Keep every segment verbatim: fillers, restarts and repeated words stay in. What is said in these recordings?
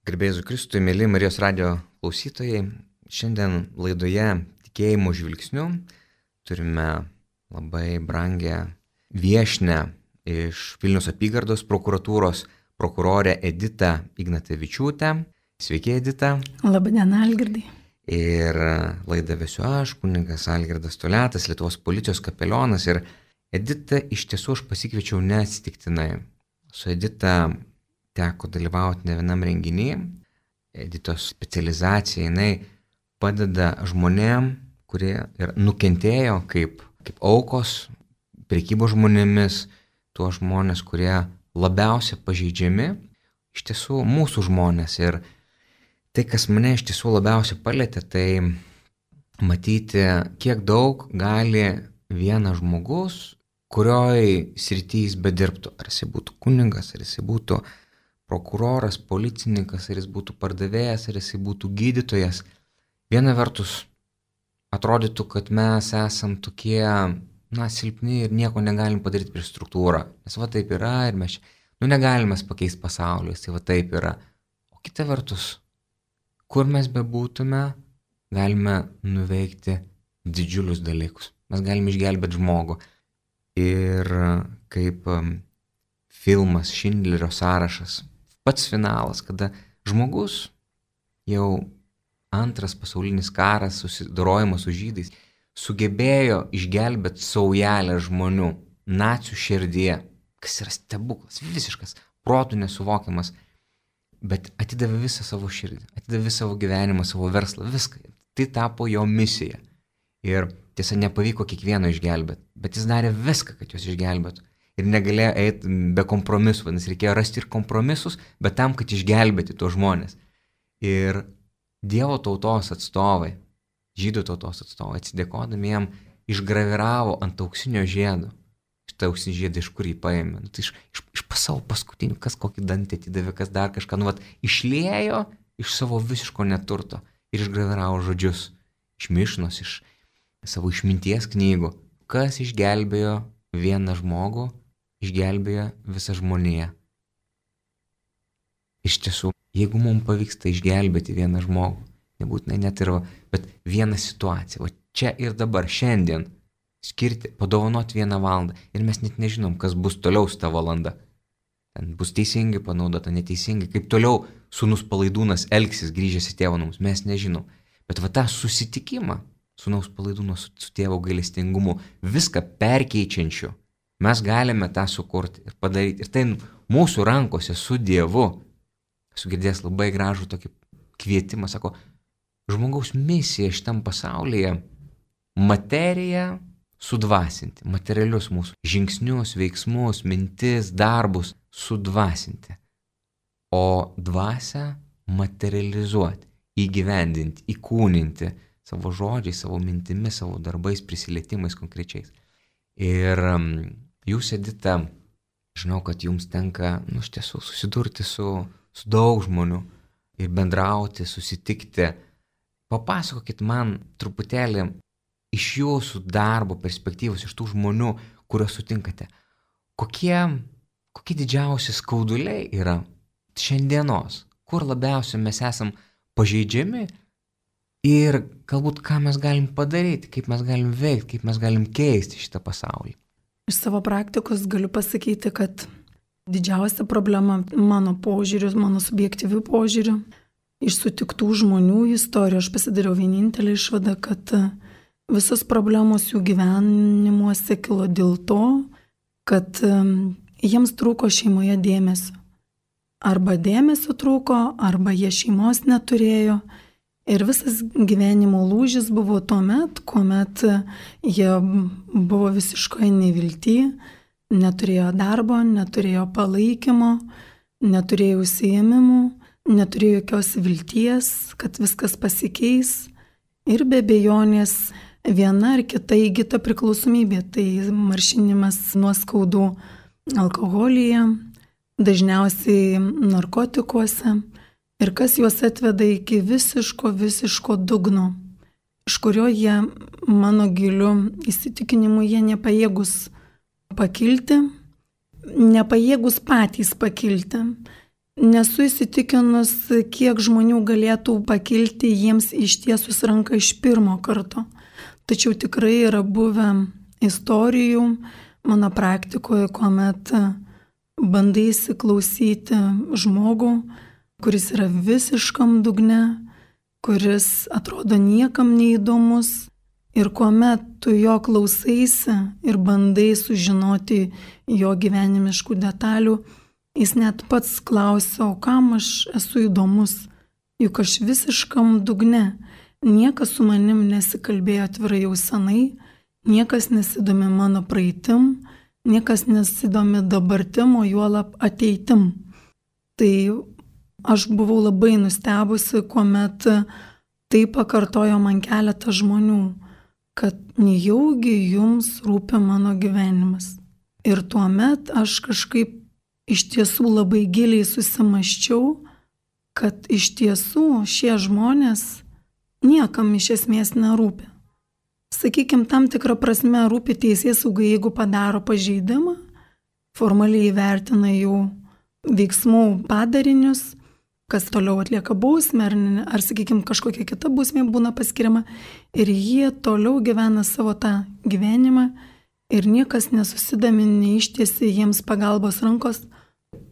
Garbėsiu Kristui, mėly Marijos radijo klausytojai. Šiandien laidoje Tikėjimo žvilgsniu turime labai brangę viešnią iš Vilniaus apygardos prokuratūros prokurorę Editą Ignatavičiūtę. Sveiki, Edita. Labadiena, Algirdai. Ir laidą vesiu aš, kunigas Algirdas Toliatas, Lietuvos policijos kapelionas. Ir Edita iš tiesų aš pasikviečiau neatsitiktinai. Su Edita teko dalyvauti ne vienam renginyje. Editos specializacija, jinai padeda žmonėm, kurie ir nukentėjo kaip, kaip aukos, prekybos žmonėmis, tuos žmonės, kurie labiausiai pažeidžiami, iš tiesų mūsų žmonės. Ir tai, kas mane iš tiesų labiausiai palėtė, tai matyti, kiek daug gali vienas žmogus, kurioj srity jis bedirbtų. Ar jis būtų kunigas, ar jis būtų prokuroras, policininkas, ar jis būtų pardavėjas, ar jis būtų gydytojas. Viena vertus atrodytų, kad mes esam tokie, na, silpni ir nieko negalim padaryti prieš struktūrą. Nes va taip yra ir mes, nu, negalime pakeisti pasaulio, tai va taip yra. O kita vertus, kur mes bebūtume, galime nuveikti didžiulius dalykus. Mes galime išgelbėti žmogų. Ir kaip um, filmas Šindlerio sąrašas, pats finalas, kada žmogus jau antras pasaulinis karas, susidorojimas su žydais, sugebėjo išgelbėti saujelę žmonių nacių širdyje, kas yra stebuklas, visiškas, protų nesuvokiamas, bet atidavė visą savo širdį, atidavė savo gyvenimą, savo verslą, viską. Tai tapo jo misija. Ir tiesa, nepavyko kiekvieno išgelbėti, bet jis darė viską, kad juos išgelbėtų. Ir negalėjo eiti be kompromisų, nes reikėjo rasti ir kompromisus, bet tam, kad išgelbėti tuos žmonės. Ir Dievo tautos atstovai, žydų tautos atstovai, atsidėkodami jam, išgraviravo ant auksinio žiedo. Šitą auksinį žiedą iš kur jį paėmė? Nu, tai iš, iš, iš savo paskutinių, kas kokį dantį atidavė, kas dar kažką, nu, vat, išliejo iš savo visiško neturto ir išgraviravo žodžius iš Mišnos, iš savo išminties knygų. Kas išgelbėjo vieną žmogų, išgelbėjo visą žmoniją. Iš tiesų, jeigu mums pavyksta išgelbėti vieną žmogų, nebūtinai net ir, bet vieną situaciją, o čia ir dabar, šiandien, skirti, padovanoti vieną valandą ir mes net nežinom, kas bus toliau su ta valanda. Ten bus teisingai panaudota, neteisingai, kaip toliau sūnus Palaidūnas elgsis grįžęs į tėvo namus, mes nežinom. Bet va tą susitikimą sūnaus Palaidūno su, su tėvo gailestingumu, viską perkeičiančiu, mes galime tą sukurti ir padaryti. Ir tai mūsų rankose su Dievu. Esu girdėjęs labai gražų tokį kvietimą, sako, žmogaus misija šitam pasaulyje materiją sudvasinti, materialius mūsų žingsnius, veiksmus, mintis, darbus sudvasinti, o dvasią materializuoti, įgyvendinti, įkūninti savo žodžiais, savo mintimis, savo darbais, prisilietimais konkrečiais. Ir um, jūs, Edita, žinau, kad jums tenka, nu, iš tiesų susidurti su, su daug žmonių ir bendrauti, susitikti. Papasakokit man truputėlį iš jūsų darbo perspektyvos, iš tų žmonių, kuriuos sutinkate. Kokie, kokie didžiausi skauduliai yra šiandienos, kur labiausiai mes esam pažeidžiami ir galbūt ką mes galim padaryti, kaip mes galim veikti, kaip mes galim keisti šitą pasaulį. Iš savo praktikos galiu pasakyti, kad didžiausia problema mano požiūriu, mano subjektyviu požiūriu, iš sutiktų žmonių istorijų aš pasidariau vienintelį išvadą, kad visos problemos jų gyvenimuose kilo dėl to, kad jiems trūko šeimoje dėmesio. Arba dėmesio trūko, arba jie šeimos neturėjo. Ir visas gyvenimo lūžis buvo tuomet, kuomet jie buvo visiškai nevilty, neturėjo darbo, neturėjo palaikymo, neturėjo užsiėmimų, neturėjo jokios vilties, kad viskas pasikeis. Ir be abejonės viena ar kita įgyta priklausomybė, tai maršinimas nuo skaudų alkoholyje, dažniausiai narkotikuose. Ir kas juos atveda iki visiško, visiško dugno, iš kurio jie, mano giliu įsitikinimu, jie nepajėgus pakilti, nepajėgus patys pakilti. nesu įsitikinus, kiek žmonių galėtų pakilti jiems ištiesus ranką iš pirmo karto. Tačiau tikrai yra buvę istorijų mano praktikoje, kuomet bandai įsiklausyti žmogų, kuris yra visiškam dugne, kuris atrodo niekam neįdomus, ir kuomet tu jo klausaisi ir bandai sužinoti jo gyvenimiškų detalių, jis net pats klausia, o kam aš esu įdomus, juk aš visiškam dugne, niekas su manim nesikalbėjo atvirai jau senai, niekas nesidomi mano praeitim, niekas nesidomi dabartim, o juolab ateitim. Tai aš buvau labai nustebusi, kuomet tai pakartojo man keletą žmonių, kad nejaugi jums rūpi mano gyvenimas. Ir tuomet aš kažkaip iš tiesų labai giliai susimaščiau, kad iš tiesų šie žmonės niekam iš esmės nerūpi. Sakykime, tam tikrą prasme rūpi teisėsaugai, jeigu padaro pažeidimą, formaliai įvertina jų veiksmų padarinius, kas toliau atlieka bausmę, ar, ar sakykime, kažkokia kita bausmė būna paskiriama, ir jie toliau gyvena savo tą gyvenimą ir niekas nesusidomi, neištiesi jiems pagalbos rankos,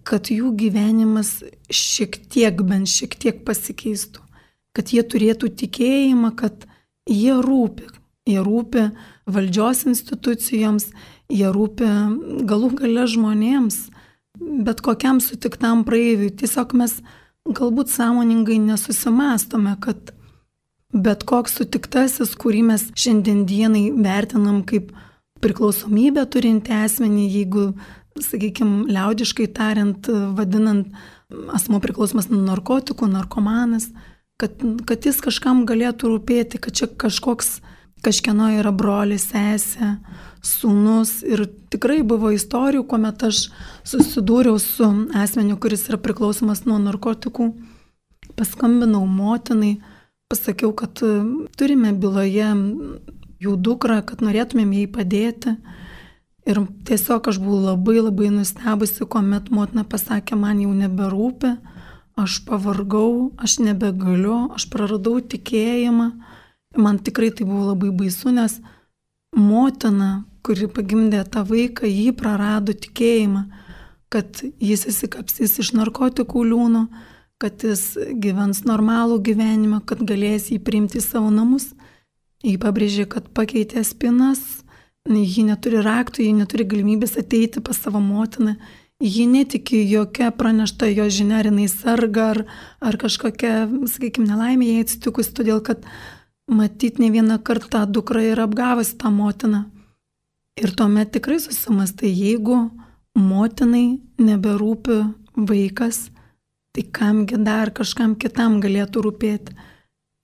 kad jų gyvenimas šiek tiek, bent šiek tiek pasikeistų, kad jie turėtų tikėjimą, kad jie rūpi, jie rūpi valdžios institucijoms, jie rūpi galų gale žmonėms, bet kokiam sutiktam praeiviui. Tiesiog mes galbūt sąmoningai nesusimastome, kad bet koks sutiktasis, kurį mes šiandien dienai vertinam kaip priklausomybę turinti asmenį, jeigu, sakykime, liaudiškai tariant, vadinant asmuo priklausomas nuo narkotikų, narkomanas, kad, kad jis kažkam galėtų rūpėti, kad čia kažkoks, kažkieno yra brolis, sesė, sūnus. Ir tikrai buvo istorijų, kuomet aš susidūriau su asmeniu, kuris yra priklausomas nuo narkotikų. Paskambinau motinai, pasakiau, kad turime byloje jų dukrą, kad norėtumėm jai padėti. Ir tiesiog aš buvau labai labai nustebusi, kuomet motina pasakė, man jau neberūpi, aš pavargau, aš nebegaliu, aš praradau tikėjimą. Man tikrai tai buvo labai baisu, nes motina, kuri pagimdė tą vaiką, jį prarado tikėjimą, kad jis įsikapsys iš narkotikų liūno, kad jis gyvens normalų gyvenimą, kad galės jį priimti į savo namus. Jį pabrėžė, kad pakeitė spinas, ji neturi raktų, ji neturi galimybės ateiti pas savo motiną, ji netiki jokia pranešta jo žinia, ar jinai serga, ar, ar kažkokia, sakykime, nelaimė jai atsitikus, todėl kad matyt ne vieną kartą dukra yra apgavusi tą motiną. Ir tuomet tikrai susimastai, jeigu motinai neberūpi vaikas, tai kamgi dar kažkam kitam galėtų rūpėti.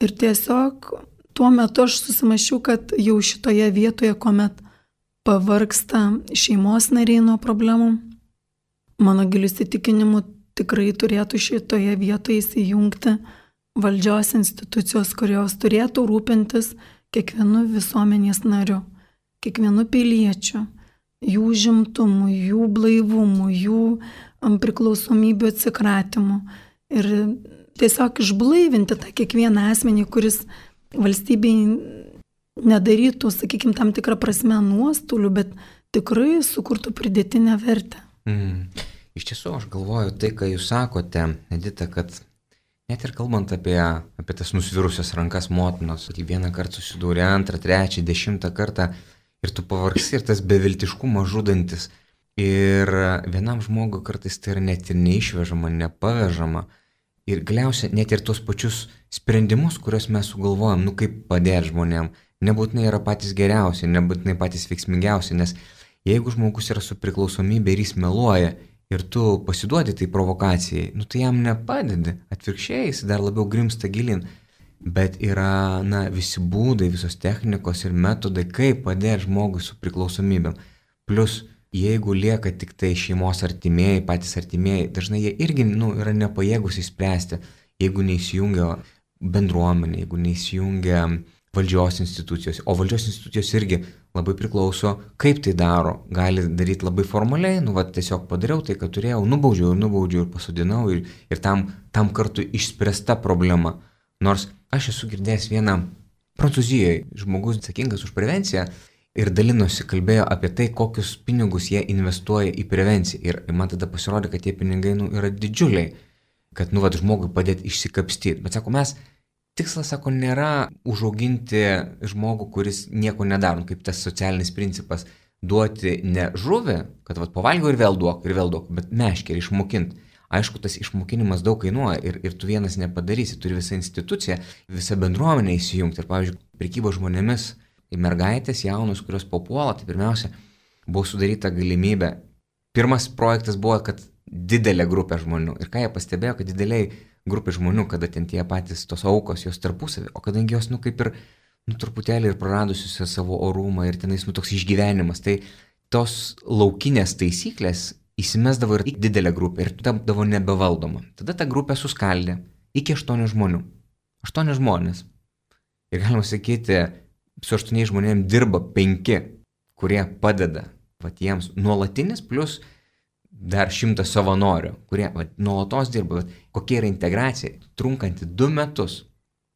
Ir tiesiog tuo metu aš susimašiau, kad jau šitoje vietoje, kuomet pavargsta šeimos nariai nuo problemų, mano giliu įsitikinimu tikrai turėtų šitoje vietoje įsijungti valdžios institucijos, kurios turėtų rūpintis kiekvienu visuomenės nariu, kiekvienu piliečiu, jų žimtumu, jų blaivumu, jų priklausomybių atsikratymu. Ir tiesiog išblaivinti tą kiekvieną asmenį, kuris valstybei nedarytų, sakykime, tam tikrą prasme nuostolių, bet tikrai sukurtų pridėtinę vertę. Mm. Iš tiesų, aš galvoju tai, ką jūs sakote, Edita, kad net ir kalbant apie, apie tas nusvirusias rankas motinos, tai vieną kartą susidūrė, antrą, trečią, dešimtą kartą ir tu pavargsi ir tas beviltiškumas žudantis. Ir vienam žmogui kartais tai yra net ir neišvežama, nepavežama. Ir galiausiai net ir tos pačius sprendimus, kuriuos mes sugalvojam, nu kaip padėti žmonėm, nebūtinai yra patys geriausi, nebūtinai patys veiksmingiausi, nes jeigu žmogus yra su priklausomybė ir jis meluoja, ir tu pasiduodi tai provokacijai, nu tai jam nepadedi, atvirkščiai jis dar labiau grimsta gilin. Bet yra, na, visi būdai, visos technikos ir metodai, kaip padėti žmogui su priklausomybėm. Plus, jeigu lieka tik tai šeimos artimieji, patys artimieji, dažnai jie irgi, nu, yra nepajėgus įspręsti, jeigu neįsijungia bendruomenė, jeigu neįsijungia valdžios institucijos. O valdžios institucijos irgi labai priklauso, kaip tai daro. Gali daryti labai formaliai, nu va tiesiog padariau tai, ką turėjau, nubaudžiau ir nubaudžiau ir pasodinau ir, ir tam, tam kartu išspręsta problema. Nors aš esu girdėjęs vieną Prancūzijoje žmogus atsakingas už prevenciją ir dalinosi, kalbėjo apie tai, kokius pinigus jie investuoja į prevenciją. Ir man tada pasirodė, kad tie pinigai nu, yra didžiuliai, kad nu va žmogui padėti išsikapstyti. Bet sako, mes tikslas, sako, nėra užauginti žmogų, kuris nieko nedaro, kaip tas socialinis principas, duoti ne žuvį, kad vat, pavalgiau ir vėl duok, ir vėl duok, bet meškerį išmokinti. Aišku, tas išmokinimas daug kainuoja ir, ir tu vienas nepadarysi, turi visą instituciją, visą bendruomenę įsijungti. Ir, pavyzdžiui, prekybo žmonėmis, mergaitės jaunus, kurios papuola, tai pirmiausia, buvo sudaryta galimybė. Pirmas projektas buvo, kad didelė grupė žmonių. Ir ką jie pastebėjo, kad dideliai grupė žmonių, kada ten tie patys tos aukos, jos tarpusavį, o kadangi jos, nu, kaip ir, nu, truputėlį ir praradusios savo orumą ir tenais, nu, toks išgyvenimas, tai tos laukinės taisyklės įsimesdavo ir didelė grupė ir tapdavo nebevaldoma. Tada ta grupė suskaldė iki aštuonių žmonių. Aštuoni žmonės. Ir galima sakyti, su aštuoniais žmonėms dirba penki, kurie padeda, vat, jiems nuolatinis plus dar šimtas savanorių, kurie vat, nuolatos dirba. Vat, kokia yra integracija? Trunkanti du metus.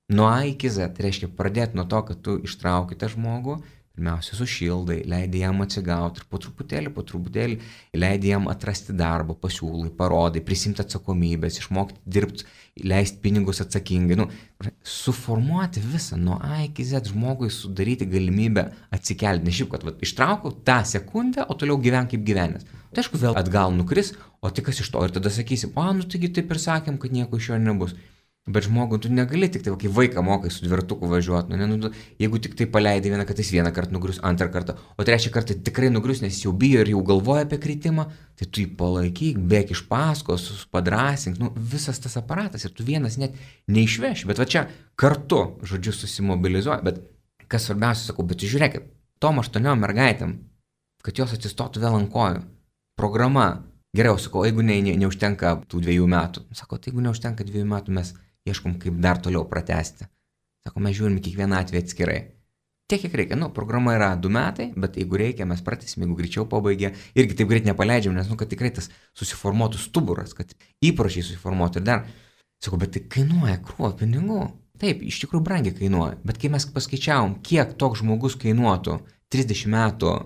Nuo A iki Z. Tai reiškia pradėti nuo to, kad tu ištrauki tą žmogų, pirmiausia sušildai, leidai jam atsigauti ir po truputėlį, po truputėlį leidai jam atrasti darbą, pasiūlai, parodai, prisimti atsakomybės, išmokti dirbti, leisti pinigus atsakingai. Nu, suformuoti visą nuo A iki Z žmogui, sudaryti galimybę atsikelti. Ne šiaip, kad vat, ištraukau tą sekundę, o toliau gyven kaip gyvenęs. Tai aišku, vėl atgal nukris, o tai kas iš to? Ir tada sakysim, o, nu taigi taip ir sakėm, kad nieko iš jo nebus. Bet žmogų tu negali tik tai, kai vaiką mokai su dvirtuku važiuoti, nu, ne, nu, jeigu tik tai paleidai vieną kartą, jis vieną kartą nugrius, antrą kartą, o trečią kartą tikrai nugrius, nes jis jau bijo ir jau galvoja apie kritimą, tai tu jį palaikyk, bėk iš paskos, padrasink, nu, visas tas aparatas ir tu vienas net neišveši, bet va čia kartu, žodžiu, susimobilizuoja, bet kas svarbiausia, sakau, bet žiūrėkit, tom aštuoniom mergaitėm, kad jos atsistotų vėl ant kojų, programa, geriau, sakau, jeigu ne, ne, neužtenka tų dviejų metų, sakau, tai jeigu neužtenka dviejų metų, mes ieškom, kaip dar toliau pratęsti. Sako, mes žiūrim kiekvieną atvejį atskirai. Tiek, kiek reikia. Nu, programa yra du metai, bet jeigu reikia, mes pratęsim, jeigu greičiau pabaigė. Irgi taip greit nepaleidžiam, nes, nu, kad tikrai tas susiformuotų stuburas, kad įpročiai susiformuotų. Ir dar, sakau, bet tai kainuoja krūvą pinigų. Taip, iš tikrųjų brangiai kainuoja. Bet kai mes paskaičiavom, kiek toks žmogus kainuotų trisdešimt metų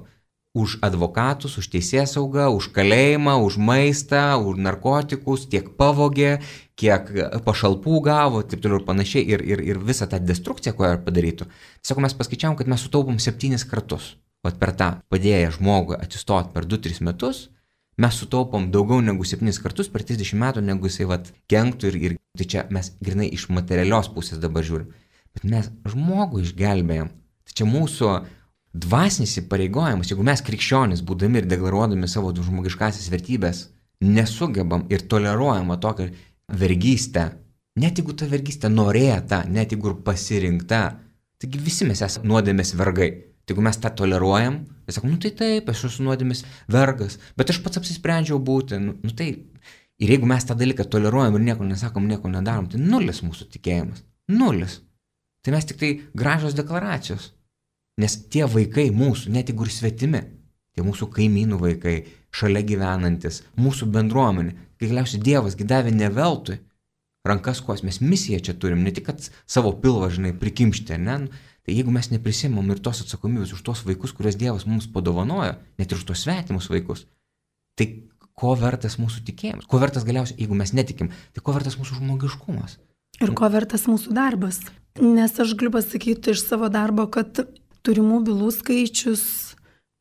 už advokatus, už teisėsaugą, už kalėjimą, už maistą, už narkotikus, tiek pavogė, kiek pašalpų gavo, taip toliau ir panašiai, ir, ir, ir visą tą destrukciją, ko jie padarytų. Sako, mes paskaičiavom, kad mes sutaupom septynis kartus. O per tą padėję žmogui atsistoti per du tris metus, mes sutaupom daugiau negu septynis kartus per trisdešimt metų, negu jisai vat kenktų ir, ir tai čia mes grinai iš materialios pusės dabar žiūrim. Bet mes žmogų išgelbėjom. Tai čia mūsų dvasinis įpareigojimas, jeigu mes krikščionys, būdami ir deklaruodami savo žmogiškasias vertybės, nesugebam ir toleruojam tokią vergystę, net jeigu ta vergystė norėta, net jeigu ir pasirinkta, taigi visi mes esame nuodėmės vergai. Tai jeigu mes tą toleruojam, tai sakom, nu tai taip, aš esu nuodėmės vergas, bet aš pats apsisprendžiau būti, nu, nu tai. Ir jeigu mes tą dalyką toleruojam ir nieko nesakom, nieko nedarom, tai nulis mūsų tikėjimas. Nulis. Tai mes tik tai gražios deklaracijos. Nes tie vaikai mūsų, net jeigu ir svetimi, tie mūsų kaimynų vaikai, šalia gyvenantis, mūsų bendruomenė, kai galiausiai Dievas davė ne veltui rankas kos, mes misiją čia turim, ne tik kad savo pilvą, žinai, prikimšti, ne? Tai jeigu mes neprisimam ir tos atsakomybės už tos vaikus, kurias Dievas mums padovanojo, net ir už tos svetimus vaikus, tai ko vertas mūsų tikėjimas? Ko vertas galiausiai, jeigu mes netikim, tai ko vertas mūsų žmogiškumas? Ir ko vertas mūsų darbas? Nes aš galiu pasakyti iš savo darbo, kad turimų bylų skaičius,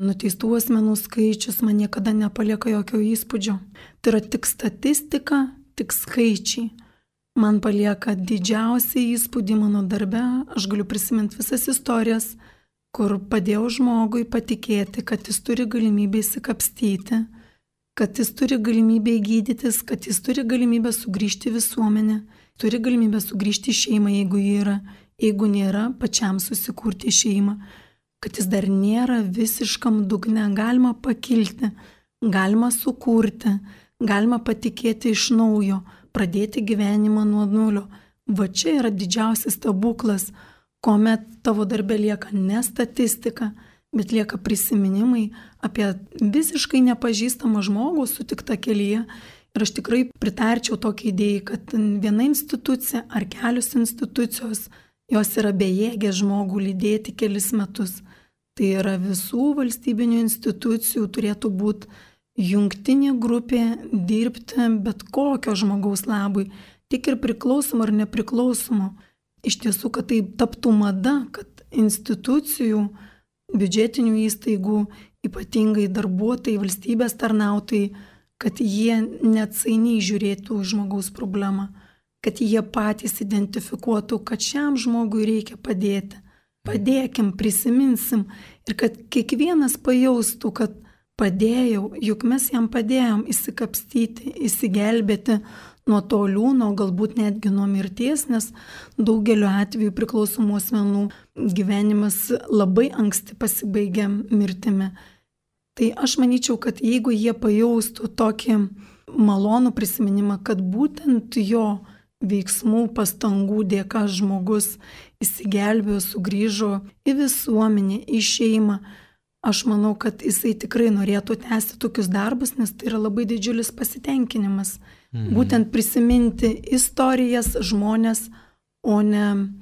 nuteistų asmenų skaičius man niekada nepalieka jokio įspūdžio. Tai yra tik statistika, tik skaičiai. Man palieka didžiausią įspūdį mano darbe. Aš galiu prisiminti visas istorijas, kur padėjau žmogui patikėti, kad jis turi galimybę įsikapstyti, kad jis turi galimybę gydytis, kad jis turi galimybę sugrįžti į visuomenę, turi galimybę sugrįžti į šeimą, jeigu jį yra. Jeigu nėra, pačiam susikurti šeimą, kad jis dar nėra visiškam dugne, galima pakilti, galima sukurti, galima patikėti iš naujo, pradėti gyvenimą nuo nulio. Va čia yra didžiausias stebuklas, kuomet tavo darbė lieka ne statistika, bet lieka prisiminimai apie visiškai nepažįstamą žmogų sutiktą kelyje. Ir aš tikrai pritarčiau tokiai idėjai, kad viena institucija ar kelios institucijos, jos yra bejėgė žmogų lydėti kelis metus. Tai yra visų valstybinių institucijų turėtų būti jungtinė grupė dirbti bet kokio žmogaus labui, tik ir priklausomo ar nepriklausomo. Iš tiesų, kad tai taptų mada, kad institucijų, biudžetinių įstaigų, ypatingai darbuotojai, valstybės tarnautojai, kad jie neatsainiai žiūrėtų žmogaus problemą, kad jie patys identifikuotų, kad šiam žmogui reikia padėti. Padėkim, prisiminsim ir kad kiekvienas pajaustų, kad padėjau, juk mes jam padėjom įsikapstyti, įsigelbėti nuo to liūno, galbūt netgi nuo mirties, nes daugeliu atveju priklausomų asmenų gyvenimas labai anksti pasibaigia mirtimi. Tai aš manyčiau, kad jeigu jie pajaustų tokį malonų prisiminimą, kad būtent jo veiksmų, pastangų dėka žmogus įsigelbėjo, sugrįžo į visuomenę, į šeimą, aš manau, kad jisai tikrai norėtų tęsti tokius darbus, nes tai yra labai didžiulis pasitenkinimas. Mhm. Būtent prisiminti istorijas, žmonės, o ne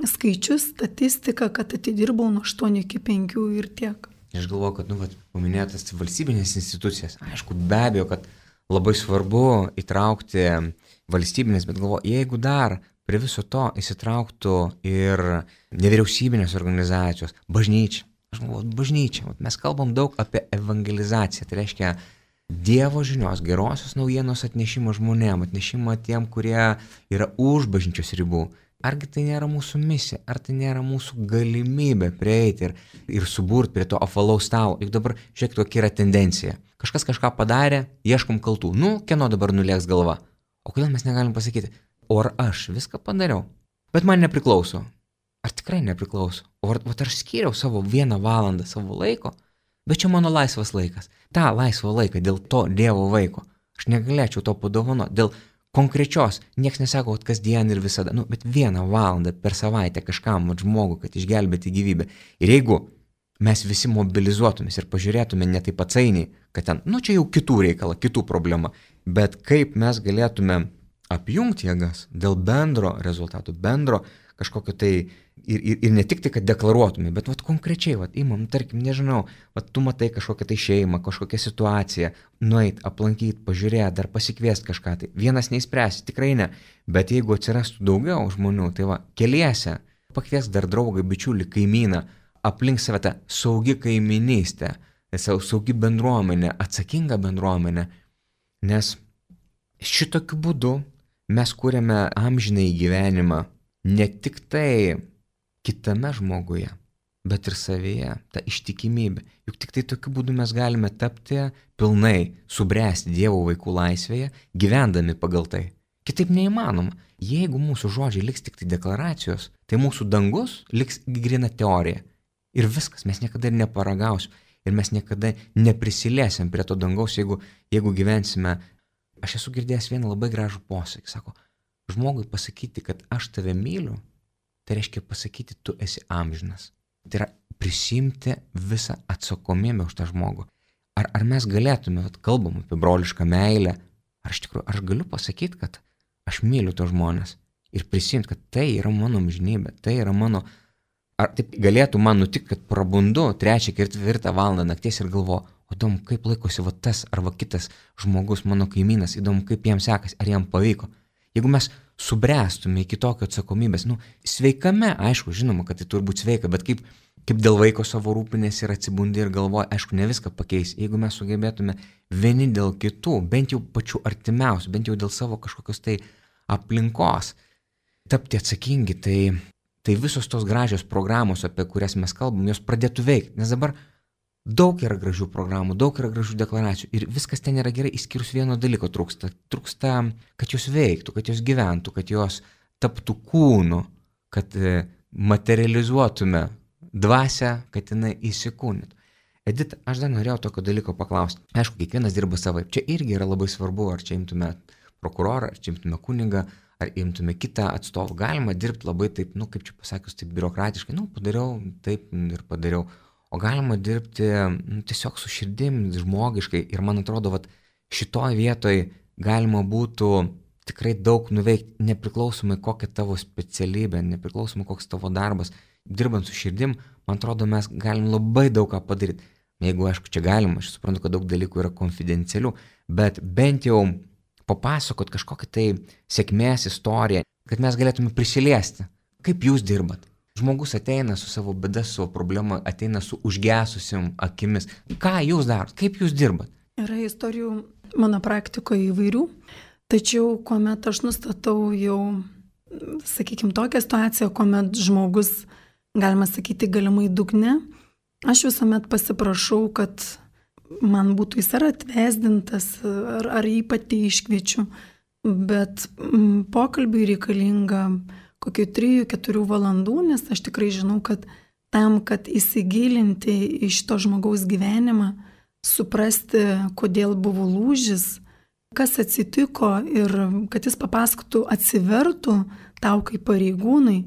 skaičius, statistiką, kad atidirbau nuo aštuonių iki penkių ir tiek. Aš galvoju, kad, nu, vat, paminėtas valstybinės institucijas, aišku, be abejo, kad labai svarbu įtraukti valstybinės, bet galvoju, jeigu dar prie viso to įsitrauktų ir nevyriausybinės organizacijos, bažnyčia. Aš galvoju, bažnyčia, mes kalbam daug apie evangelizaciją, tai reiškia Dievo žinios, gerosios naujienos atnešimą žmonėm, atnešimą tiem, kurie yra už bažnyčios ribų. Argi tai nėra mūsų misija, ar tai nėra mūsų galimybė prieiti ir, ir suburti prie to apvalaus stalo. Juk dabar žiūrėk, tokia yra tendencija. Kažkas kažką padarė, ieškom kaltų. Nu, kieno dabar nulėks galva? O kodėl mes negalim pasakyti, o ar aš viską padariau? Bet man nepriklauso. Ar tikrai nepriklauso? O ar, ar aš skyriau savo vieną valandą savo laiko? Bet čia mano laisvas laikas. Ta laisvą laiką dėl to Dievo vaiko. Aš negalėčiau to padovanoti. Dėl konkrečios, nieks nesako, kad kasdien ir visada, nu, bet vieną valandą per savaitę kažkam žmogui, kad išgelbėti gyvybę. Ir jeigu mes visi mobilizuotumės ir pažiūrėtume ne taip atsainiai, kad ten, nu, čia jau kitų reikala, kitų problema, bet kaip mes galėtume apjungti jėgas dėl bendro rezultatų, bendro kažkokio tai ir, ir, ir ne tik tai, kad deklaruotume, bet vat konkrečiai, vat imam, tarkim, nežinau, vat tu matai kažkokią tai šeimą, kažkokią situaciją, nueit, aplankyti, pažiūrėti, dar pasikviesti kažką tai. Vienas neįspręsi, tikrai ne, bet jeigu atsirastų daugiau žmonių, tai va, keliese, pakvies dar draugą, bičiulį, kaimyną, aplink save tą saugi kaiminystę, saugi bendruomenė, atsakinga bendruomenė, nes šitokiu būdu mes kūrėme amžinai gyvenimą ne tik tai kitame žmoguje, bet ir savyje, ta ištikimybė. Juk tik tai tokiu būdu mes galime tapti pilnai, subręsti Dievo vaikų laisvėje, gyvendami pagal tai. Kitaip neįmanoma. Jeigu mūsų žodžiai liks tik tai deklaracijos, tai mūsų dangus liks grina teorija. Ir viskas, mes niekada ir neparagausim. Ir mes niekada neprisiliesim prie to dangaus, jeigu, jeigu gyvensime. Aš esu girdėjęs vieną labai gražų posakį. Sako, žmogui pasakyti, kad aš tave myliu, tai reiškia pasakyti, tu esi amžinas. Tai yra prisimti visą atsakomybę už tą žmogų. Ar, ar mes galėtume, vat, kalbam apie brolišką meilę, ar iš tikrųjų, aš galiu pasakyti, kad aš myliu tos žmonės ir prisimti, kad tai yra mano amžinybė, tai yra mano. Ar taip galėtų man nutikti, kad prabundu trečią, ketvirtą valandą nakties ir galvoju, o įdomu, kaip laikosi va tas arba kitas žmogus, mano kaimynas, įdomu, kaip jam sekas, ar jam pavyko. Jeigu mes subręstume iki tokio atsakomybės, nu, sveikame, aišku, žinoma, kad tai turi būti sveika, bet kaip, kaip dėl vaiko savo rūpinės ir atsibundi ir galvoja, aišku, ne viską pakeis. Jeigu mes sugebėtume vieni dėl kitų, bent jau pačių artimiausių, bent jau dėl savo kažkokios tai aplinkos, tapti atsakingi, tai, tai visos tos gražios programos, apie kurias mes kalbam, jos pradėtų veikti. Nes dabar daug yra gražių programų, daug yra gražių deklaracijų ir viskas ten yra gerai, išskyrus vieno dalyko trūksta. Trūksta, kad jos veiktų, kad jos gyventų, kad jos taptų kūnu, kad materializuotume dvasią, kad jinai įsikūnytų. Edita, aš dar norėjau tokio dalyko paklausti. Aišku, kiekvienas dirba savaip. Čia irgi yra labai svarbu, ar čia imtume prokurorą, ar čia imtume kunigą, ar imtume kitą atstovą, galima dirbti labai taip, nu kaip čia pasakius, taip biurokratiškai, nu padariau, taip ir padariau, o galima dirbti nu, tiesiog su širdim, žmogiškai ir man atrodo, vat, šitoj vietoj galima būtų tikrai daug nuveikti, nepriklausomai kokia tavo specialybė, nepriklausomai koks tavo darbas, dirbant su širdim, man atrodo, mes galim labai daug ką padaryti. Jeigu, aišku, čia galima, aš suprantu, kad daug dalykų yra konfidencialių, bet bent jau papasakot kažkokią tai sėkmės istoriją, kad mes galėtume prisiliesti. Kaip jūs dirbat? Žmogus ateina su savo bėda, su savo problema, ateina su užgesusiam akimis. Ką jūs darot? Kaip jūs dirbat? Yra istorijų mano praktikoje įvairių, tačiau kuomet aš nustatau jau, sakykime, tokią situaciją, kuomet žmogus, galima sakyti, galimai dugne, aš visuomet pasiprašau, kad man būtų jis ar atvesdintas, ar, ar jį pati iškviečiu, bet m, pokalbiui reikalinga kokių trijų keturių valandų, nes aš tikrai žinau, kad tam, kad įsigilinti į šito žmogaus gyvenimą, suprasti, kodėl buvo lūžis, kas atsitiko ir kad jis papasakotų, atsivertų tau kaip pareigūnai,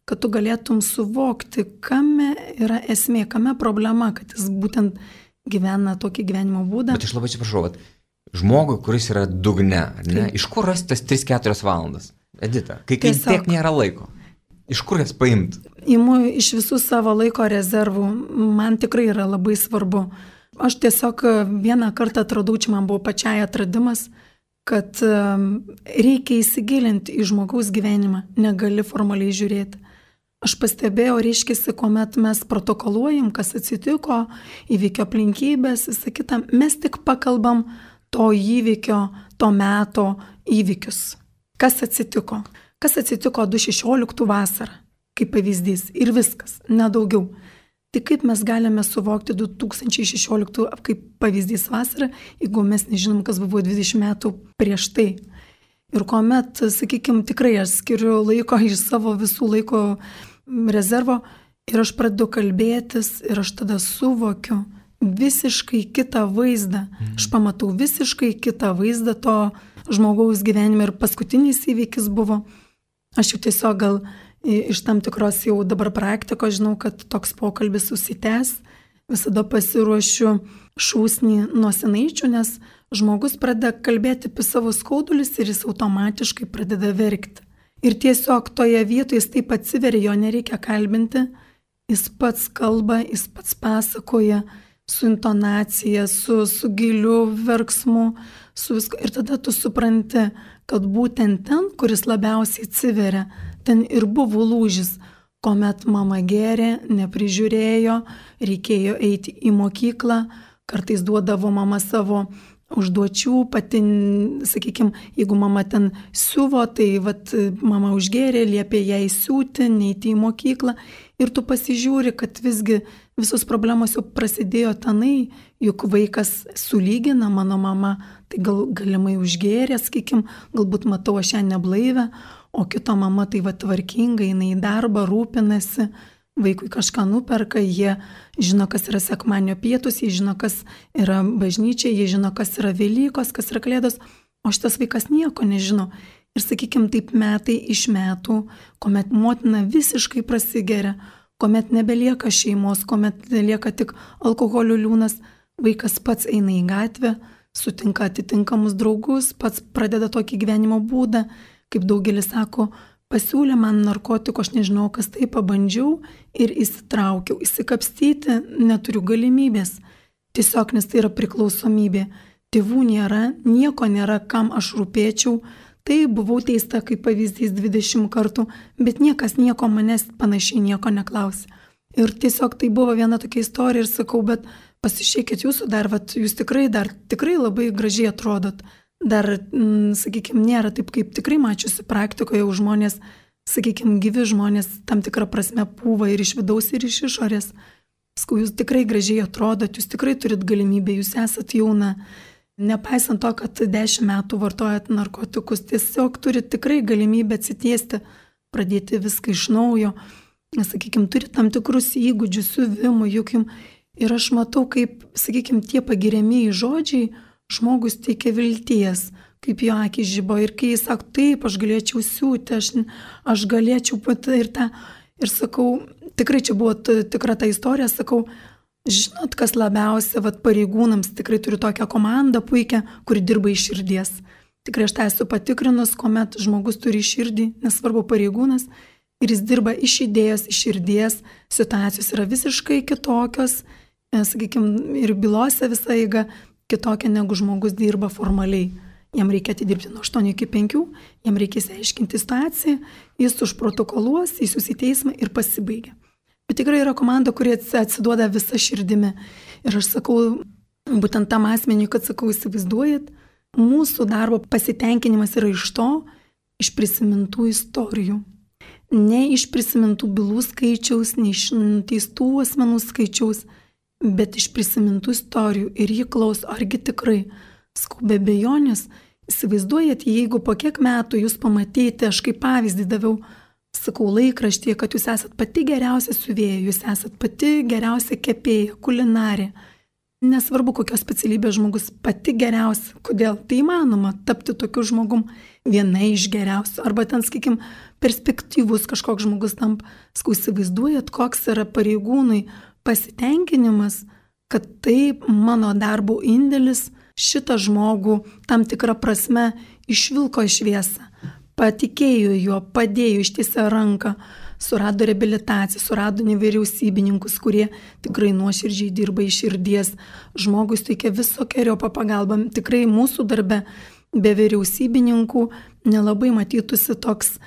kad tu galėtum suvokti, kame yra esmė, kame problema, kad jis būtent gyvena tokį gyvenimo būdą. Bet aš labai atsiprašau, kad žmogui, kuris yra dugne, ne, iš kur rasti tas tris keturias valandas? Edita, kai, kai Tiesiog, tiek nėra laiko, iš kur jas paimti? Imu iš visų savo laiko rezervų, man tikrai yra labai svarbu. Aš tiesiog vieną kartą atradau, čia man buvo pačiai atradimas, kad reikia įsigilinti į žmogaus gyvenimą, negali formaliai žiūrėti. Aš pastebėjau, reiškiasi, kuomet mes protokoluojam, kas atsitiko, įvykio aplinkybės, visą kitą, mes tik pakalbam to įvykio, to meto įvykius. Kas atsitiko? Kas atsitiko du tūkstančiai šešioliktų vasarą, kaip pavyzdys, ir viskas, nedaugiau. Tai kaip mes galime suvokti du tūkstančiai šešioliktų kaip pavyzdys vasarą, jeigu mes nežinom, kas buvo dvidešimt metų prieš tai. Ir kuomet, sakykime, tikrai aš skiriu laiko iš savo visų laiko rezervo ir aš pradedu kalbėtis ir aš tada suvokiu visiškai kitą vaizdą. Aš pamatau visiškai kitą vaizdą to žmogaus gyvenime ir paskutinis įvykis buvo. Aš jau tiesiog gal iš tam tikros jau dabar praktikos žinau, kad toks pokalbis susitęs. Visada pasiruošiu šūsnį nuo senaičių, nes žmogus pradeda kalbėti apie savo skaudulius ir jis automatiškai pradeda verkti. Ir tiesiog toje vietoje jis taip atsiveria, jo nereikia kalbinti, jis pats kalba, jis pats pasakoja su intonacija, su, su giliu verksmu, su visko. Ir tada tu supranti, kad būtent ten, kuris labiausiai atsiveria, ten ir buvo lūžis, kuomet mama gėrė, neprižiūrėjo, reikėjo eiti į mokyklą, kartais duodavo mama savo užduočių, pati, sakykime, jeigu mama ten siuvo, tai vat, mama užgėrė, liepė jai siūti, neiti į mokyklą ir tu pasižiūri, kad visgi visos problemos jau prasidėjo tenai, juk vaikas sulygina, mano mama, tai gal, galimai užgėrė, sakykime, galbūt matau aš ją neblaivę, o kito mama tai va tvarkinga, jinai į darbą rūpinasi, vaikui kažką nuperka, jie žino, kas yra sekmadienio pietus, jie žino, kas yra bažnyčia, jie žino, kas yra Velykos, kas yra Kalėdos, o šitas vaikas nieko nežino. Ir sakykime, taip metai iš metų, kuomet motina visiškai prasigeria, kuomet nebelieka šeimos, kuomet lieka tik alkoholio liūnas, vaikas pats eina į gatvę, sutinka atitinkamus draugus, pats pradeda tokį gyvenimo būdą, kaip daugelis sako, pasiūlė man narkotikų, aš nežinau, kas tai, pabandžiau ir įsitraukiau. Įsikapstyti neturiu galimybės. Tiesiog, nes tai yra priklausomybė. Tėvų nėra, nieko nėra, kam aš rūpėčiau. Tai buvau teista kaip pavyzdys dvidešimt kartų, bet niekas nieko manęs panašiai nieko neklausė. Ir tiesiog tai buvo viena tokia istorija ir sakau, bet pasižiūrėkit jūsų dar, vat, jūs tikrai dar tikrai labai gražiai atrodot. Dar, sakykime, nėra taip, kaip tikrai mačiusi praktikoje, jau žmonės, sakykime, gyvi žmonės tam tikrą prasme pūva ir iš vidaus, ir iš išorės. Skau, jūs tikrai gražiai atrodot, jūs tikrai turit galimybę, jūs esat jauna. Nepaisant to, kad dešimt metų vartojat narkotikus, tiesiog turit tikrai galimybę atsitiesti, pradėti viską iš naujo. Sakykime, turit tam tikrus įgūdžius, siuvimų, juk jums. Ir aš matau, kaip, sakykime, tie pagiriamieji žodžiai žmogus teikia vilties, kaip jo akis žibo. Ir kai jis sako, taip, aš galėčiau siūti, aš, aš galėčiau pat ir tą. Ir sakau, tikrai čia buvo tikra ta istorija, sakau, žinot, kas labiausia, vat, pareigūnams, tikrai turiu tokią komandą puikią, kuri dirba iš širdies. Tikrai aš tą esu patikrinus, kuomet žmogus turi širdį, nesvarbu pareigūnas, ir jis dirba iš idėjos, iš širdies, situacijos yra visiškai kitokios, sakykime, ir bylose visa eiga kitokia, negu žmogus dirba formaliai. Jam reikia atidirbti nuo aštuonių iki penkių, jam reikės aiškinti situaciją, jis užprotokoluos, jis į teismą ir pasibaigia. Bet tikrai yra komanda, kurie atsiduoda visą širdimi. Ir aš sakau, būtent tam asmeniui, kad sakau, įsivaizduojat, mūsų darbo pasitenkinimas yra iš to, iš prisimintų istorijų. Ne iš prisimintų bylų skaičiaus, ne iš nuteistų asmenų skaičiaus, bet iš prisimintų istorijų. Ir jį klaus, argi tikrai, skau, be abejonės, įsivaizduojat, jeigu po kiek metų jūs pamatyti, aš kaip pavyzdį daviau, sakau, laikraštyje, kad jūs esat pati geriausia siuvėja, jūs esat pati geriausia kepėja, kulinarė. Nesvarbu, kokios specialybės žmogus, pati geriausia. Kodėl? Tai įmanoma tapti tokiu žmogum, viena iš geriausių. Arba ten, sakykim, perspektyvus kažkoks žmogus tampa. Skau, įsivaizduojat, koks yra pareigūnai pasitenkinimas, kad taip mano darbo indėlis šitą žmogų tam tikrą prasme išvilko į šviesą. Patikėjo juo, padėjo, ištiesė ranką, surado reabilitaciją, surado nevyriausybininkus, kurie tikrai nuoširdžiai dirba iš širdies. Žmogus teikia visokeriopą pagalbą. Tikrai mūsų darbe be vyriausybininkų nelabai matytųsi toks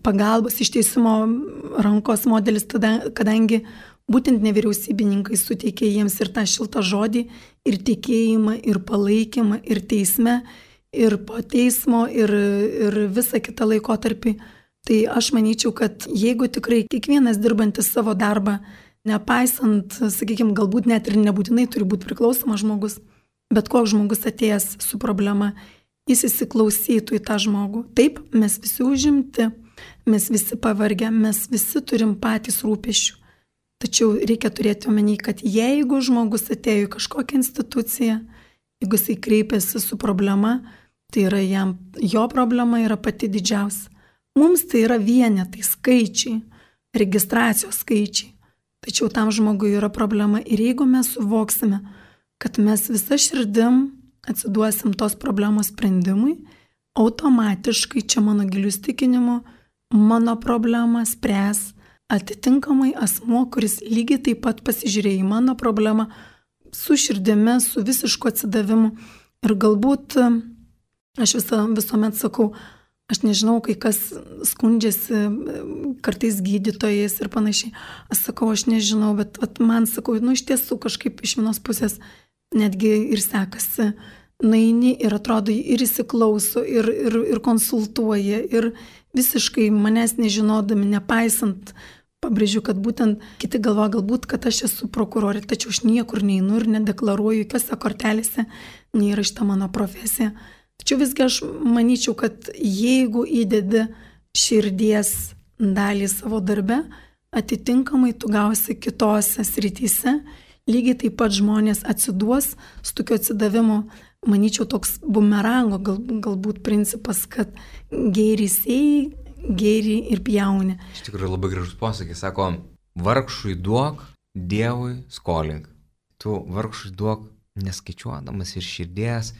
pagalbos ištiesimo rankos modelis, tada, kadangi būtent nevyriausybininkai suteikė jiems ir tą šiltą žodį, ir tikėjimą, ir palaikymą, ir teisme, ir po teismo, ir, ir visą kitą laikotarpį. Tai aš manyčiau, kad jeigu tikrai kiekvienas dirbantis savo darbą, nepaisant, sakykime, galbūt net ir nebūtinai turi būti priklausomas žmogus, bet koks žmogus atėjęs su problema, jis įsiklausytų į tą žmogų. Taip, mes visi užimti, mes visi pavargę, mes visi turim patys rūpesčių. Tačiau reikia turėti omeny, kad jeigu žmogus atėjo į kažkokią instituciją, jeigu jisai kreipiasi su problema, tai yra jam, jo problema yra pati didžiausia. Mums tai yra vienetai, skaičiai, registracijos skaičiai. Tačiau tam žmogui yra problema ir jeigu mes suvoksime, kad mes visą širdim atsiduosim tos problemos sprendimui, automatiškai, čia mano gilių įsitikinimu, mano problemą spręs atitinkamai asmuo, kuris lygiai taip pat pasižiūrėjo į mano problemą su širdimi, su visišku atsidavimu. Ir galbūt aš visą, visuomet sakau, aš nežinau, kai kas skundžiasi kartais gydytojais ir panašiai. Aš sakau, aš nežinau, bet vat, man sakau, nu iš tiesų kažkaip iš vienos pusės netgi ir sekasi. Naini ir atrodo ir įsiklauso, ir, ir, ir konsultuoja, ir visiškai manęs nežinodami, nepaisant, pabrėžiu, kad būtent kiti galvo galbūt, kad aš esu prokurorė, tačiau aš niekur neinu ir nedeklaruoju, jokiose kortelėse neįrašyta mano profesija. Tačiau visgi aš manyčiau, kad jeigu įdedi širdies dalį savo darbe, atitinkamai tu gausi kitose srityse, lygiai taip pat žmonės atsiduos su tokiu atsidavimu. Manyčiau, toks bumerango gal, galbūt principas, kad gėrį sėjai, gėrį ir pjauni. Iš tikrųjų labai gražus posakis, sako, vargšui duok, Dievui skolink. Tu vargšui duok neskaičiuodamas ir širdies,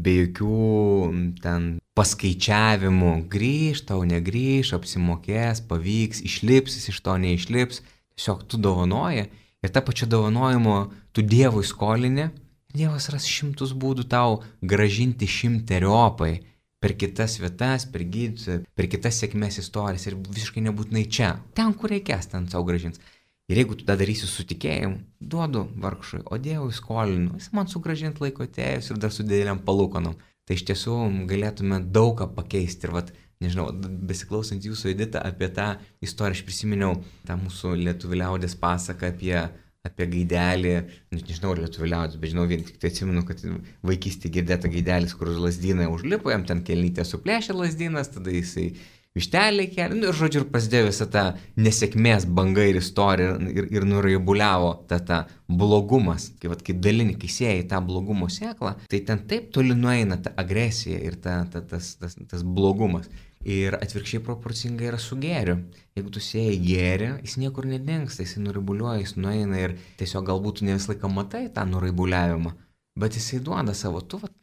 be jokių ten paskaičiavimų, grįž, tau negrįž, apsimokės, pavyks, išlips, jis iš to neišlips, tiesiog tu dovanoji ir tą pačią dovanojimo tu Dievui skolini. Dievas ras šimtus būdų tau gražinti šimteriopai per kitas vietas, per gydytojus, per kitas sėkmės istorijas ir visiškai nebūtinai čia. Ten, kur reikės, ten savo gražins. Ir jeigu tu tą darysi su tikėjimu, duodu vargšui, o Dievui skolinu, jis man sugražint laiko atėjus ir dar su dideliam palūkanom. Tai iš tiesų galėtume daug ką pakeisti. Ir vat, nežinau, besiklausant jūsų, Edita, apie tą istoriją, aš prisiminiau tą mūsų lietuvių liaudės pasaką apie apie gaidelį, nežinau, ar lietuvių liaudės, bet žinau, vien tik tai atsimenu, kad vaikystėje girdėta gaidelis, kur lazdyną užlipo, jam ten kelnytė suplėšė lazdynas, tada jisai vištelį kelią, nu ir žodžiu, ir prasidėjo visą tą nesėkmės banga ir istorija ir, ir nuraibuliavo tą, tą blogumas, kai, vat, kai dalini, kai sėjai tą blogumo sėklą, tai ten taip toli nueina ta agresija ir ta, ta, tas, tas, tas blogumas. Ir atvirkščiai proporcingai yra su gėriu. Jeigu tu sėjai gėrį, jis niekur nedingsta, jis nuraibuliuoja, jis nueina ir tiesiog galbūt ne visą laiką matai tą nuraibuliavimą, bet jisai duoda savo, tu vat,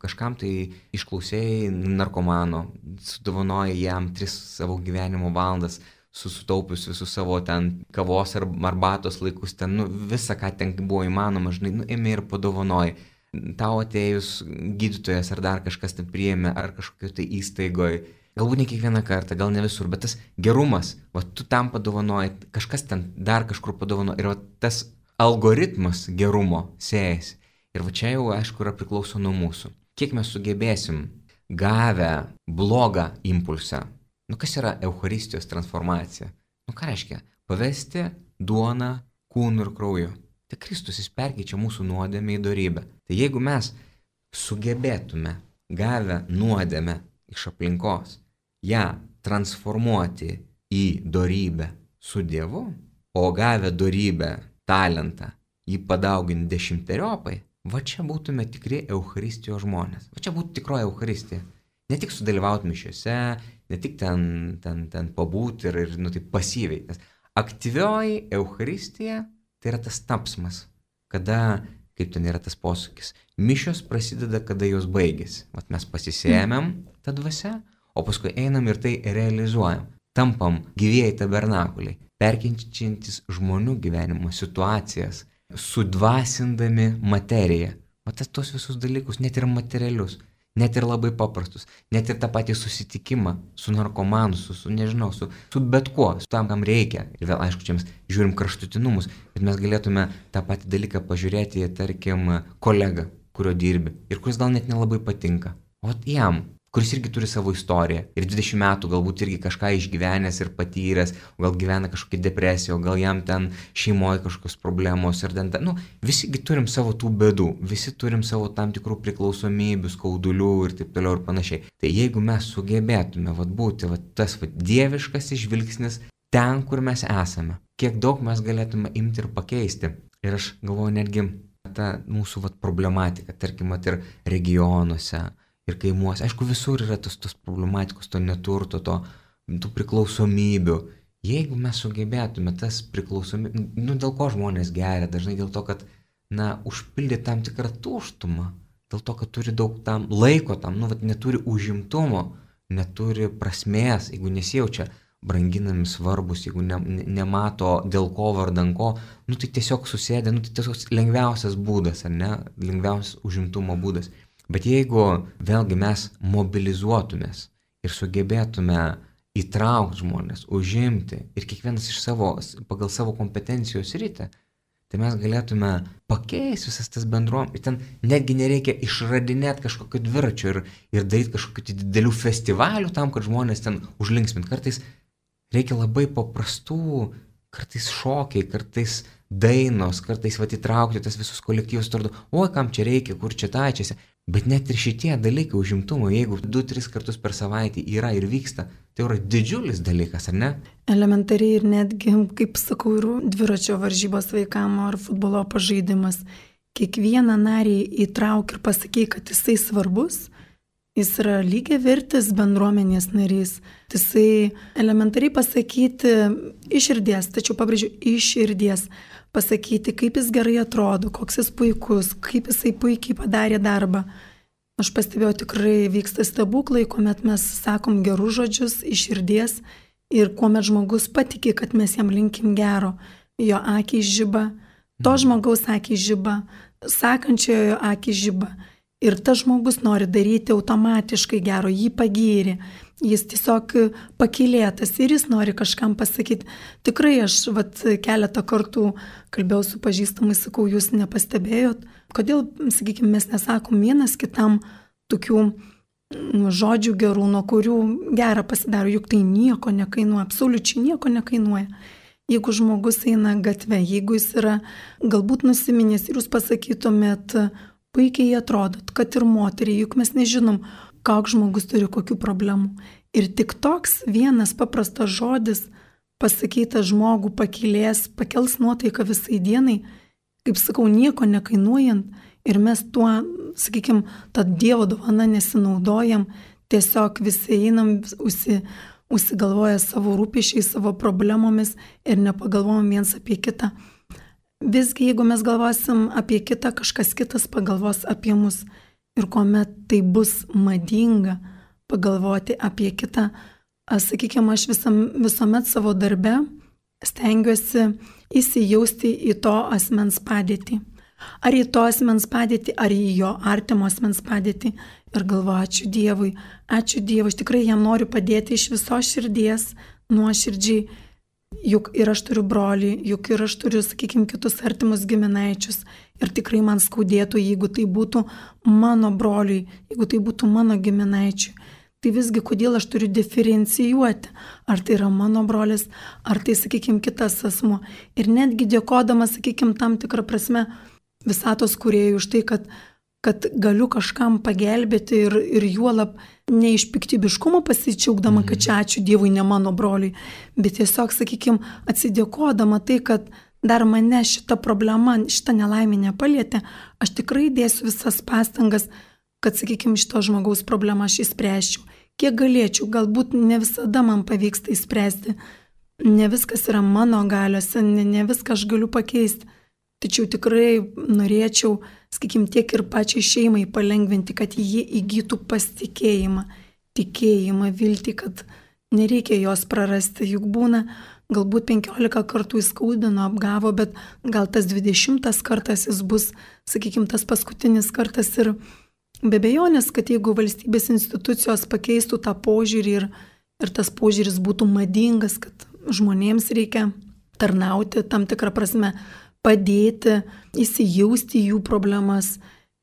kažkam tai išklausėjai narkomano, sudovanoji jam tris savo gyvenimo valandas, susitaupius visus savo ten kavos ar arbatos laikus, ten nu, visą, ką ten buvo įmanoma, žinai, nu, ėmė ir padovanoji. Tau atėjus gydytojas ar dar kažkas ten priėmė, ar kažkokio tai įstaigoje, galbūt ne kiekvieną kartą, gal ne visur, bet tas gerumas, va tu tam padovanoji, kažkas ten dar kažkur padovanoji ir va tas algoritmas gerumo sėjasi. Ir va čia jau, aišku, yra priklauso nuo mūsų. Kiek mes sugebėsim gavę blogą impulsą. Nu, kas yra Eucharistijos transformacija? Nu, ką reiškia? Pavesti duoną kūnu ir krauju. Tai Kristus jis perkeičia mūsų nuodėmę į dorybę. Tai jeigu mes sugebėtume gavę nuodėmę iš aplinkos, ją transformuoti į dorybę su Dievu, o gavę dorybę, talentą, jį padauginti dešimteriopai, va čia būtume tikri Eucharistijos žmonės. Va čia būtų tikroji Eucharistija. Ne tik sudalyvauti mišiuose, ne tik ten, ten, ten pabūti ir, ir nu, tai pasyviai. Nes aktyvioji Eucharistija tai yra tas tapsmas, kada, kaip ten yra tas posūkis, mišios prasideda, kada jos baigėsi. Vat mes pasisėmėm tą dvasią, o paskui einam ir tai realizuojam. Tampam gyvieji tabernakuliai, perkeičiantis žmonių gyvenimo situacijas, sudvasindami materiją. O tas tos visus dalykus, net ir materialius, net ir labai paprastus, net ir tą patį susitikimą su narkomanu, su, su nežinau, su, su bet kuo, su tam, kam reikia. Ir vėl, aišku, čia mes žiūrim kraštutinumus, bet mes galėtume tą patį dalyką pažiūrėti, tarkim, kolegą, kurio dirbi ir kuris gal net nelabai patinka. O jam, kuris irgi turi savo istoriją ir dvidešimt metų galbūt irgi kažką išgyvenęs ir patyręs, gal gyvena kažkokią depresiją, gal jam ten šeimoje kažkokios problemos ir ten, nu, visigi turim savo tų bėdų, visi turim savo tam tikrų priklausomybių, skaudulių ir taip toliau ir panašiai. Tai jeigu mes sugebėtume vat, būti vat, tas vat, dieviškas žvilgsnis ten, kur mes esame, kiek daug mes galėtume imti ir pakeisti. Ir aš galvoju netgi ta mūsų vat, problematika, tarkim, vat, ir regionuose, ir kaimuose. Aišku, visur yra tos, tos problematikos, to neturto, to, tų priklausomybių. Jeigu mes sugebėtume tas priklausomybės, nu dėl ko žmonės geria, dažnai dėl to, kad, na, užpildė tam tikrą tuštumą, dėl to, kad turi daug tam laiko tam, nu, vat, neturi užimtumo, neturi prasmės, jeigu nesijaučia branginami svarbus, jeigu ne, ne, nemato dėl ko vardan ko, nu tai tiesiog susėdė, nu tai tiesiog lengviausias būdas, ar ne, lengviausias užimtumo būdas. Bet jeigu vėlgi mes mobilizuotumės ir sugebėtume įtraukti žmonės, užimti ir kiekvienas iš savo, pagal savo kompetencijos rytį, tai mes galėtume pakeisti visas tas bendruomenės. Ten netgi nereikia išradinėti kažkokio dviračio ir, ir daryti kažkokių didelių festivalių tam, kad žmonės ten užlinksmint. Kartais reikia labai paprastų, kartais šokiai, kartais dainos, kartais vat įtraukti tas visus kolektyvus, atrodo, oi, kam čia reikia, kur čia tačiasi. Bet net ir šitie dalykai užimtumo, jeigu du tris kartus per savaitę yra ir vyksta, tai yra didžiulis dalykas, ar ne? Elementariai ir netgi, kaip sakau, ir dviračio varžybos vaikam ar futbolo pažaidimas. Kiekvieną narį įtrauk ir pasakai, kad jisai svarbus, jis yra lygiai vertis bendruomenės narys. Jisai elementariai pasakyti iš širdies, tačiau pabrėžiu iš širdies. Pasakyti, kaip jis gerai atrodo, koks jis puikus, kaip jisai puikiai padarė darbą. Aš pastebėjau, tikrai vyksta stebuklai, kuomet mes sakom gerus žodžius iš širdies ir kuomet žmogus patikė, kad mes jam linkim gero. Jo akiai žiba, to žmogaus akiai žiba, sakančiojo akiai žiba. Ir tas žmogus nori daryti automatiškai gero, jį pagyrė. Jis tiesiog pakylėtas ir jis nori kažkam pasakyti. Tikrai aš vat, keletą kartų kalbėjau su pažįstamais, sakau, jūs nepastebėjot, kodėl, sakykime, mes nesakom vienas kitam tokių žodžių gerų, nuo kurių gera pasidaro, juk tai nieko nekainuoja, absoliučiai nieko nekainuoja. Jeigu žmogus eina gatve, jeigu jis yra galbūt nusiminęs ir jūs pasakytumėt, puikiai atrodot, kad ir moteriai, juk mes nežinom, koks žmogus turi kokių problemų. Ir tik toks vienas paprastas žodis pasakytas žmogų pakilės, pakels nuotaiką visai dienai, kaip sakau, nieko nekainuojant ir mes tuo, sakykime, tą Dievo dovaną nesinaudojam, tiesiog visi einam, usi, užsigalvoja savo rūpesčiais, savo problemomis ir nepagalvojam viens apie kitą. Visgi, jeigu mes galvosim apie kitą, kažkas kitas pagalvos apie mus. Ir kuomet tai bus madinga pagalvoti apie kitą, sakykime, aš visam, visuomet savo darbe stengiuosi įsijausti į to asmens padėtį. Ar į to asmens padėtį, ar į jo artimo asmens padėtį. Ir galvoju, ačiū Dievui, ačiū Dievui, aš tikrai jam noriu padėti iš visos širdies, nuoširdžiai. Juk ir aš turiu brolį, juk ir aš turiu, sakykime, kitus artimus giminaičius. Ir tikrai man skaudėtų, jeigu tai būtų mano broliui, jeigu tai būtų mano giminaičiui. Tai visgi, kodėl aš turiu diferencijuoti, ar tai yra mano brolis, ar tai, sakykime, kitas asmuo. Ir netgi dėkodama, sakykime, tam tikrą prasme visatos kūrėjui už tai, kad, kad galiu kažkam pagelbėti ir, ir juolab ne iš piktybiškumo pasidžiaugdama, kad čia ačiū Dievui, ne mano broliui, bet tiesiog, sakykime, atsidėkodama tai, kad dar mane šita problema, šita nelaimė nepalietė, aš tikrai dėsiu visas pastangas, kad, sakykime, šito žmogaus problemą aš įspręsčiau. Kiek galėčiau, galbūt ne visada man pavyksta įspręsti, ne viskas yra mano galiuose, ne, ne viską aš galiu pakeisti, tačiau tikrai norėčiau, sakykime, tiek ir pačiai šeimai palengvinti, kad jie įgytų pasitikėjimą, tikėjimą, viltį, kad nereikia jos prarasti, juk būna, galbūt penkiolika kartų įskaudino, apgavo, bet gal tas dvidešimtas kartas jis bus, sakykime, tas paskutinis kartas ir be abejonės, kad jeigu valstybės institucijos pakeistų tą požiūrį ir, ir tas požiūris būtų madingas, kad žmonėms reikia tarnauti tam tikrą prasme, padėti, įsijausti jų problemas.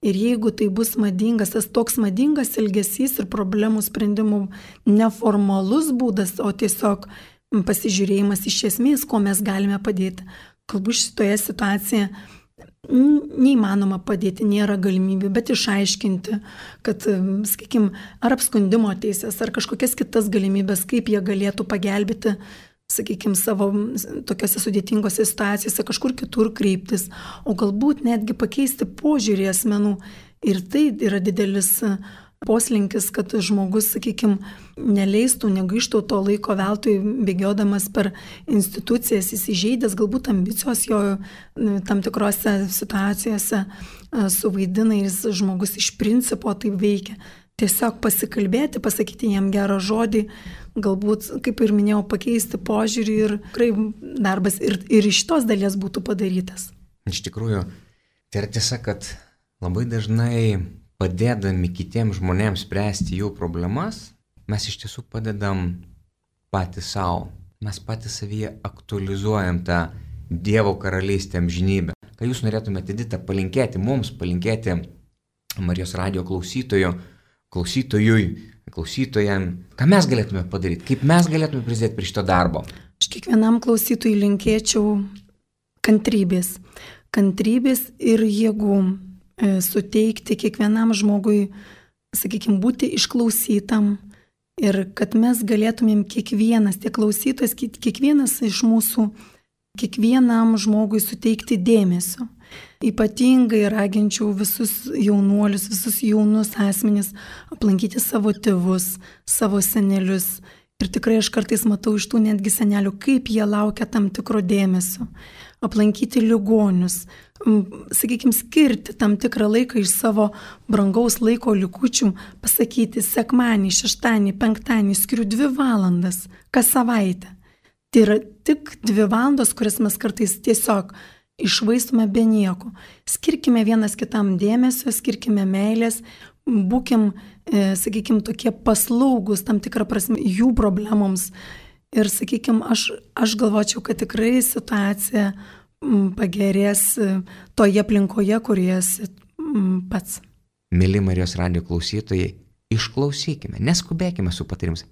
Ir jeigu tai bus madingas, tas toks madingas elgesys ir problemų sprendimų neformalus būdas, o tiesiog pasižiūrėjimas iš esmės, ko mes galime padėti. Galbūt šitoje situacijoje neįmanoma padėti, nėra galimybių, bet išaiškinti, kad, sakykime, ar apskundimo teisės, ar kažkokias kitas galimybės, kaip jie galėtų pagelbėti, sakykime, savo tokiose sudėtingose situacijose, kažkur kitur kreiptis, o galbūt netgi pakeisti požiūrį asmenų. Ir tai yra didelis poslinkis, kad žmogus, sakykime, neleistų, negaištų to laiko veltui bėgiodamas per institucijas, įsižeidęs, galbūt ambicijos jo tam tikrose situacijose suvaidina ir žmogus iš principo taip veikia. Tiesiog pasikalbėti, pasakyti jam gerą žodį, galbūt, kaip ir minėjau, pakeisti požiūrį ir tikrai darbas ir, ir iš tos dalies būtų padarytas. Iš tikrųjų, tai yra tiesa, kad labai dažnai padėdami kitiems žmonėms spręsti jų problemas, mes iš tiesų padedam patys savo. Mes patys savyje aktualizuojam tą Dievo karalystę amžinybę. Ką jūs norėtumėte, Edita, palinkėti mums, palinkėti Marijos radijo klausytojų, klausytojui, klausytojam, ką mes galėtume padaryti, kaip mes galėtume prisidėti prie šito darbo? Aš kiekvienam klausytojui linkėčiau kantrybės. Kantrybės ir jėgų suteikti kiekvienam žmogui, sakykime, būti išklausytam ir kad mes galėtumėm kiekvienas, tiek klausytojas, kiekvienas iš mūsų, kiekvienam žmogui suteikti dėmesio. Ypatingai raginčiau visus jaunuolius, visus jaunus asmenis aplankyti savo tėvus, savo senelius. Ir tikrai aš kartais matau iš tų netgi senelių, kaip jie laukia tam tikro dėmesio. Aplankyti ligonius, sakykime, skirti tam tikrą laiką iš savo brangaus laiko likučių, pasakyti sekmanį, šeštąjį, penktąjį, skiriu dvi valandas kas savaitę. Tai yra tik dvi valandos, kurias mes kartais tiesiog iššvaistome be nieko. Skirkime vienas kitam dėmesio, skirkime meilės, būkim, e, sakykime, tokie paslaugus tam tikrą prasme jų problemoms. Ir, sakykime, aš, aš galvočiau, kad tikrai situacija pagerės toje aplinkoje, kurioje esi pats. Mėly Marijos radijo klausytojai, išklausykime, neskubėkime su patarimus.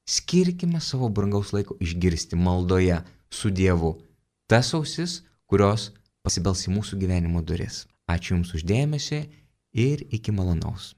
Skirkime savo brangaus laiko išgirsti maldoje su Dievu tas ausis, kurios pasibels į mūsų gyvenimo duris. Ačiū Jums už dėmesį ir iki malonaus.